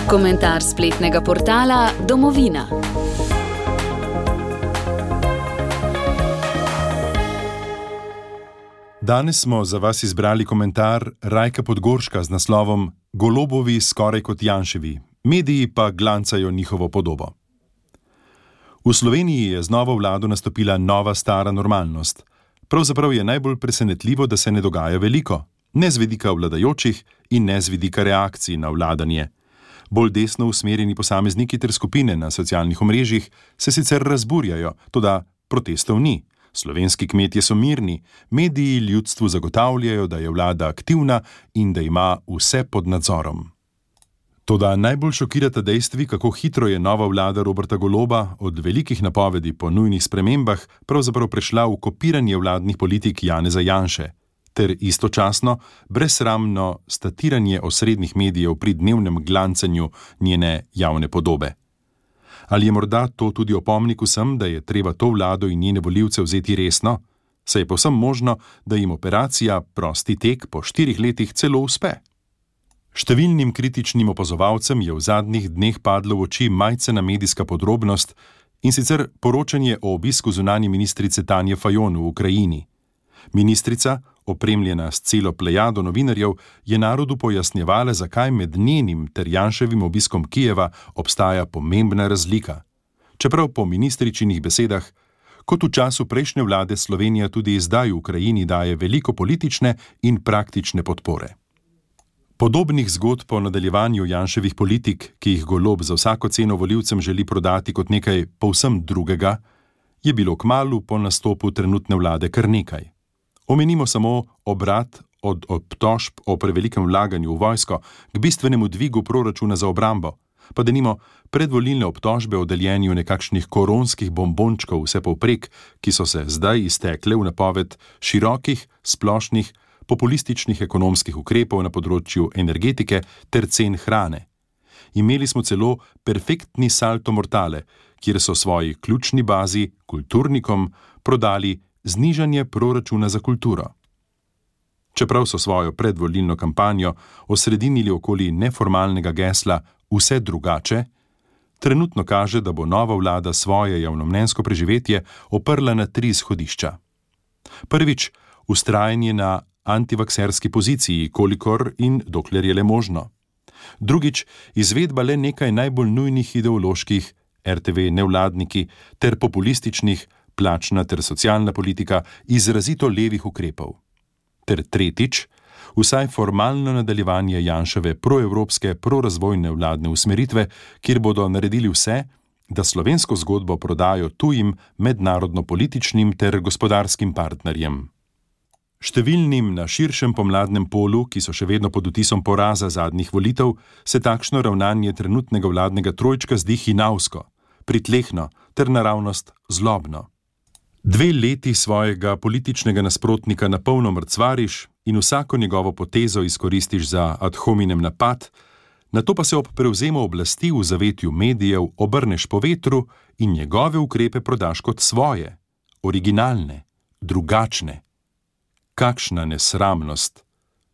Komentar spletnega portala Domovina. Danes smo za vas izbrali komentar Rajka Podgorška z naslovom Golobovi skoraj kot Janševi, mediji pa glancajo njihovo podobo. V Sloveniji je z novo vlado nastopila nova stara normalnost. Pravzaprav je najbolj presenetljivo, da se ne dogaja veliko, ne z vidika vladajočih in ne z vidika reakcij na vladanje. Bolj desno usmerjeni posamezniki ter skupine na socialnih omrežjih se sicer razburjajo, toda protestov ni. Slovenski kmetje so mirni, mediji ljudstvu zagotavljajo, da je vlada aktivna in da ima vse pod nadzorom. Toda najbolj šokirata dejstvi, kako hitro je nova vlada Roberta Goloba od velikih napovedi po nujnih spremembah pravzaprav prešla v kopiranje vladnih politik Janeza Janše, ter istočasno brezsramno statiranje osrednjih medijev pri dnevnem glancanju njene javne podobe. Ali je morda to tudi opomnik vsem, da je treba to vlado in njene volivce vzeti resno? Saj je povsem možno, da jim operacija prosti tek po 4 letih celo uspe. Številnim kritičnim opazovalcem je v zadnjih dneh padlo v oči majcena medijska podrobnost, in sicer poročanje o obisku zunanje ministrice Tanje Fajon v Ukrajini. Ministrica, opremljena s celo plejado novinarjev, je narodu pojasnjevala, zakaj med njenim ter Janševim obiskom Kijeva obstaja pomembna razlika. Čeprav po ministričinih besedah, kot v času prejšnje vlade, Slovenija tudi zdaj v Ukrajini daje veliko politične in praktične podpore. Podobnih zgodb o nadaljevanju Janševih politik, ki jih Golob za vsako ceno volivcem želi prodati kot nekaj povsem drugega, je bilo kmalu po nastopu trenutne vlade kar nekaj. Omenimo samo obrat od obtožb o prevelikem vlaganju v vojsko k bistvenemu dvigu proračuna za obrambo, pa denimo predvolilne obtožbe o deljenju nekakšnih koronskih bombončkov vsepovprek, ki so se zdaj iztekle v napoved širokih, splošnih, populističnih ekonomskih ukrepov na področju energetike ter cen hrane. Imeli smo celo perfektni salto mortale, kjer so svoji ključni bazi, kulturnikom, prodali znižanje proračuna za kulturo. Čeprav so svojo predvolilno kampanjo osredinili okoli neformalnega gesla Vse drugače, trenutno kaže, da bo nova vlada svoje javnomnenjsko preživetje oprla na 3 izhodišča. Prvič, vztrajanje na antivakserski poziciji, kolikor in dokler je le možno. Drugič, izvedba le nekaj najbolj nujnih ideoloških, RTV nevladniki ter populističnih, plačna ter socialna politika, izrazito levih ukrepov. Ter tretjič, vsaj formalno nadaljevanje Janševe proevropske, prorazvojne vladne usmeritve, kjer bodo naredili vse, da slovensko zgodbo prodajo tujim mednarodno-političnim ter gospodarskim partnerjem. Številnim na širšem pomladnem polu, ki so še vedno pod vtisom poraza zadnjih volitev, se takšno ravnanje trenutnega vladnega trojčka zdi hinavsko, pritlehno ter naravnost zlobno. 2 leti svojega političnega nasprotnika na polno mrcvariš in vsako njegovo potezo izkoristiš za ad hominem napad, nato pa se ob prevzemu oblasti v zavetju medijev obrneš po vetru in njegove ukrepe prodaš kot svoje, originalne, drugačne. Kakšna nesramnost,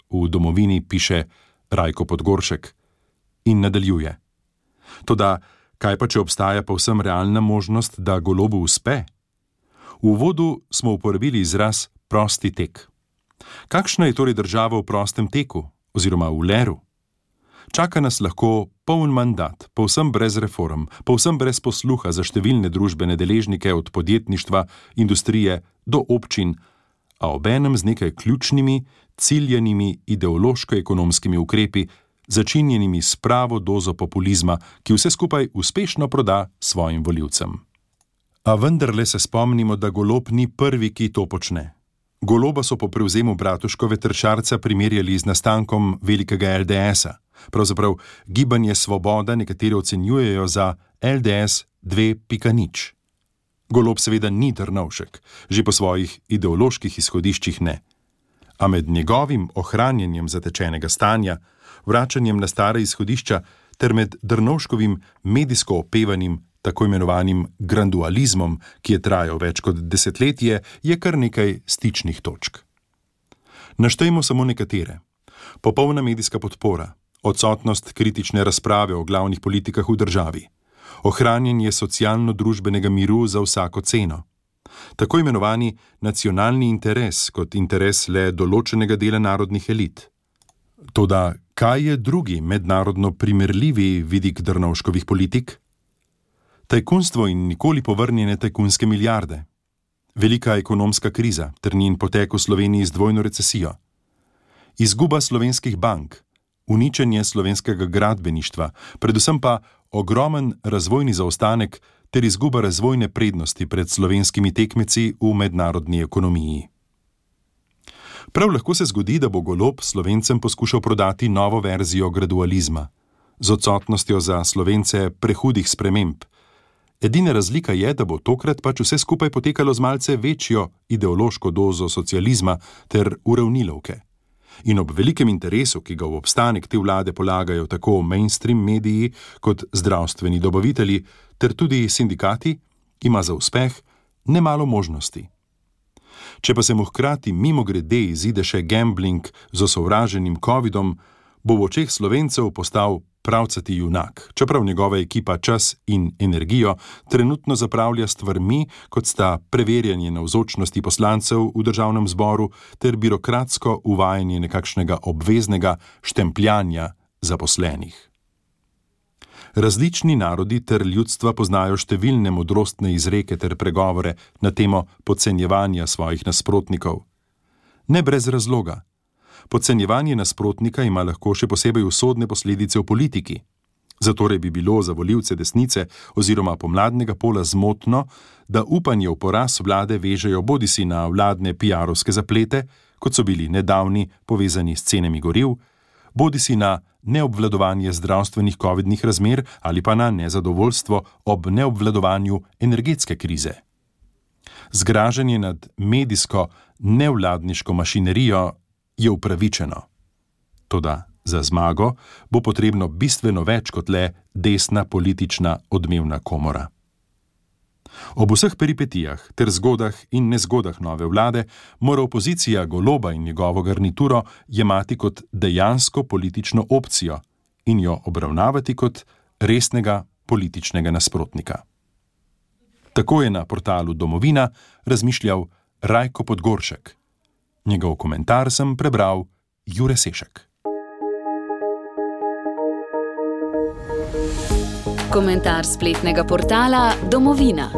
v Domovini piše Rajko Podgoršek in nadaljuje. Toda, kaj pa če obstaja povsem realna možnost, da Golobu uspe? V uvodu smo uporabili izraz prosti tek. Kakšna je torej država v prostem teku, oziroma v leru? Čaka nas lahko poln mandat, povsem brez reform, povsem brez posluha za številne družbene deležnike od podjetništva, industrije do občin, a obenem z nekaj ključnimi, ciljenimi ideološko-ekonomskimi ukrepi, začinjenimi s pravo dozo populizma, ki vse skupaj uspešno proda svojim volivcem. A vendarle se spomnimo, da Golob ni prvi, ki to počne. Goloba so po prevzemu Bratuškove Tršarca primerjali z nastankom velikega LDS-a. Pravzaprav Gibanje Svoboda nekateri ocenjujejo za LDS 2.0. Golob seveda ni Drnovšek, že po svojih ideoloških izhodiščih ne. A med njegovim ohranjanjem zatečenega stanja, vračanjem na stare izhodišča ter med Drnovškovim medijsko opevanim tako imenovanim grandualizmom, ki je trajal več kot desetletje, je kar nekaj stičnih točk. Naštejmo samo nekatere. Popolna medijska podpora, odsotnost kritične razprave o glavnih politikah v državi, ohranjanje socialno-družbenega miru za vsako ceno, tako imenovani nacionalni interes kot interes le določenega dela narodnih elit. Toda kaj je drugi mednarodno primerljivi vidik Drnovškovih politik? Tajkunstvo in nikoli povrnjene tajkunske milijarde, velika ekonomska kriza ter njen potek v Sloveniji z dvojno recesijo, izguba slovenskih bank, uničenje slovenskega gradbeništva, predvsem pa ogromen razvojni zaostanek ter izguba razvojne prednosti pred slovenskimi tekmeci v mednarodni ekonomiji. Prav lahko se zgodi, da bo Golob Slovencem poskušal prodati novo verzijo gradualizma, z odsotnostjo za Slovence prehudih sprememb. Edina razlika je, da bo tokrat pač vse skupaj potekalo z malce večjo ideološko dozo socializma ter uravnilovke. In ob velikem interesu, ki ga v obstanek te vlade polagajo tako mainstream mediji kot zdravstveni dobavitelji ter tudi sindikati, ima za uspeh nemalo možnosti. Če pa se mu hkrati mimogrede izide še gambling z osovraženim covidom, bo v očeh Slovencev postal pravcati junak, čeprav njegova ekipa čas in energijo trenutno zapravlja stvarmi, kot sta preverjanje navzočnosti poslancev v državnem zboru ter birokratsko uvajanje nekakšnega obveznega štempljanja zaposlenih. Različni narodi ter ljudstva poznajo številne modrostne izreke ter pregovore na temo podcenjevanja svojih nasprotnikov. Ne brez razloga. Podcenjevanje nasprotnika ima lahko še posebej usodne posledice v politiki. Zatorej bi bilo za volivce desnice oziroma pomladnega pola zmotno, da upanje v poraz vlade vežejo bodisi na vladne PR-ovske zaplete, kot so bili nedavni povezani s cenami goriv, bodisi na neobvladovanje zdravstvenih covidnih razmer ali pa na nezadovoljstvo ob neobvladovanju energetske krize. Zgražanje nad medijsko nevladniško mašinerijo je upravičeno. Toda za zmago bo potrebno bistveno več kot le desna politična odmevna komora. Ob vseh peripetijah ter zgodah in nezgodah nove vlade mora opozicija Goloba in njegovo garnituro jemati kot dejansko politično opcijo in jo obravnavati kot resnega političnega nasprotnika. Tako je na portalu Domovina razmišljal Rajko Podgoršek. Njegov komentar sem prebral Jure Sešek. Komentar spletnega portala Domovina.